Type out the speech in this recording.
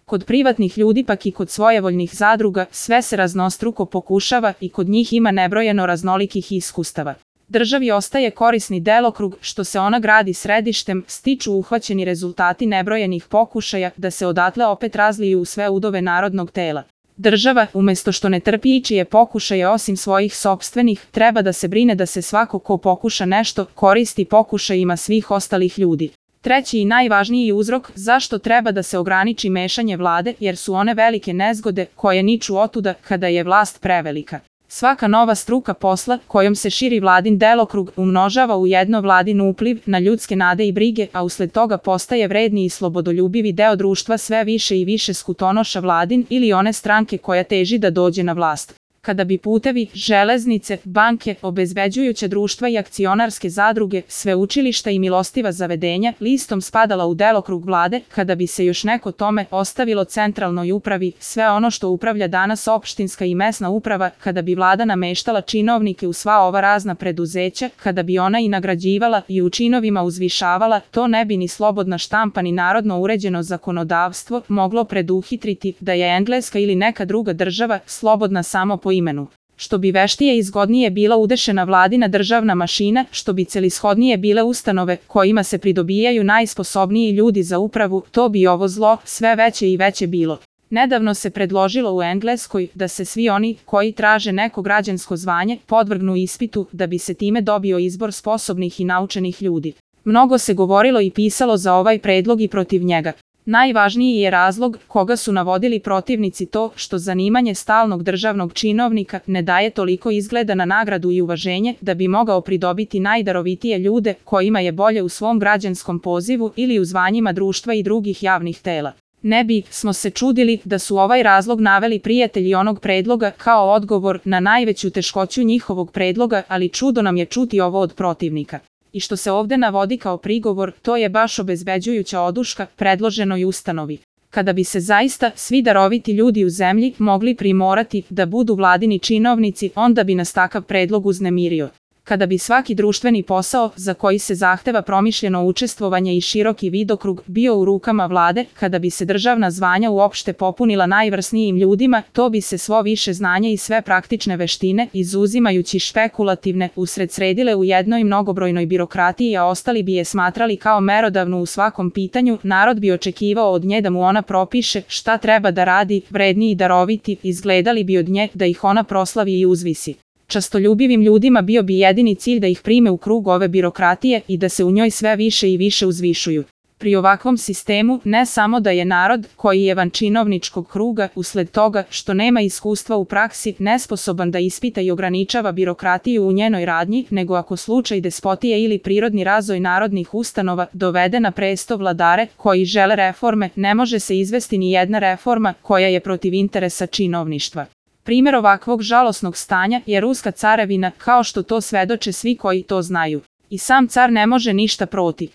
Kod privatnih ljudi pak i kod svojevoljnih zadruga sve se raznostruko pokušava i kod njih ima nebrojeno raznolikih iskustava. Državi ostaje korisni delokrug što se ona gradi središtem, stiču uhvaćeni rezultati nebrojenih pokušaja da se odatle opet razliju u sve udove narodnog tela. Država, umesto što ne trpi ičije pokušaje osim svojih sopstvenih, treba da se brine da se svako ko pokuša nešto koristi pokušajima svih ostalih ljudi. Treći i najvažniji uzrok zašto treba da se ograniči mešanje vlade jer su one velike nezgode koje niču otuda kada je vlast prevelika. Svaka nova struka posla kojom se širi vladin delokrug umnožava u jedno vladin upliv na ljudske nade i brige, a usled toga postaje vredni i slobodoljubivi deo društva sve više i više skutonoša vladin ili one stranke koja teži da dođe na vlast. Kada bi putevi, železnice, banke, obezbeđujuća društva i akcionarske zadruge, sveučilišta i milostiva zavedenja listom spadala u delokrug vlade, kada bi se još neko tome ostavilo centralnoj upravi, sve ono što upravlja danas opštinska i mesna uprava, kada bi vlada nameštala činovnike u sva ova razna preduzeća, kada bi ona i nagrađivala i u činovima uzvišavala, to ne bi ni slobodna štampa ni narodno uređeno zakonodavstvo moglo preduhitriti da je Engleska ili neka druga država slobodna samo po imenu. Što bi veštije i zgodnije bila udešena vladina državna mašina, što bi celishodnije bile ustanove kojima se pridobijaju najsposobniji ljudi za upravu, to bi ovo zlo sve veće i veće bilo. Nedavno se predložilo u Engleskoj da se svi oni koji traže neko građansko zvanje podvrgnu ispitu da bi se time dobio izbor sposobnih i naučenih ljudi. Mnogo se govorilo i pisalo za ovaj predlog i protiv njega. Najvažniji je razlog koga su navodili protivnici to što zanimanje stalnog državnog činovnika ne daje toliko izgleda na nagradu i uvaženje da bi mogao pridobiti najdarovitije ljude kojima je bolje u svom građanskom pozivu ili u zvanjima društva i drugih javnih tela. Ne bi smo se čudili da su ovaj razlog naveli prijatelji onog predloga kao odgovor na najveću teškoću njihovog predloga, ali čudo nam je čuti ovo od protivnika. I što se ovde navodi kao prigovor, to je baš obezbeđujuća oduška predloženoj ustanovi. Kada bi se zaista svi daroviti ljudi u zemlji mogli primorati da budu vladini činovnici, onda bi nas takav predlog uznemirio. Kada bi svaki društveni posao za koji se zahteva promišljeno učestvovanje i široki vidokrug bio u rukama vlade, kada bi se državna zvanja uopšte popunila najvrsnijim ljudima, to bi se svo više znanja i sve praktične veštine, izuzimajući špekulativne, usredsredile u jednoj mnogobrojnoj birokratiji, a ostali bi je smatrali kao merodavnu u svakom pitanju, narod bi očekivao od nje da mu ona propiše šta treba da radi, vredni i daroviti, izgledali bi od nje da ih ona proslavi i uzvisi. Častoljubivim ljudima bio bi jedini cilj da ih prime u krug ove birokratije i da se u njoj sve više i više uzvišuju. Pri ovakvom sistemu ne samo da je narod, koji je van činovničkog kruga, usled toga što nema iskustva u praksi, nesposoban da ispita i ograničava birokratiju u njenoj radnji, nego ako slučaj despotije ili prirodni razvoj narodnih ustanova dovede na presto vladare koji žele reforme, ne može se izvesti ni jedna reforma koja je protiv interesa činovništva. Primer ovakvog žalosnog stanja je ruska carevina, kao što to svedoče svi koji to znaju. I sam car ne može ništa protiv.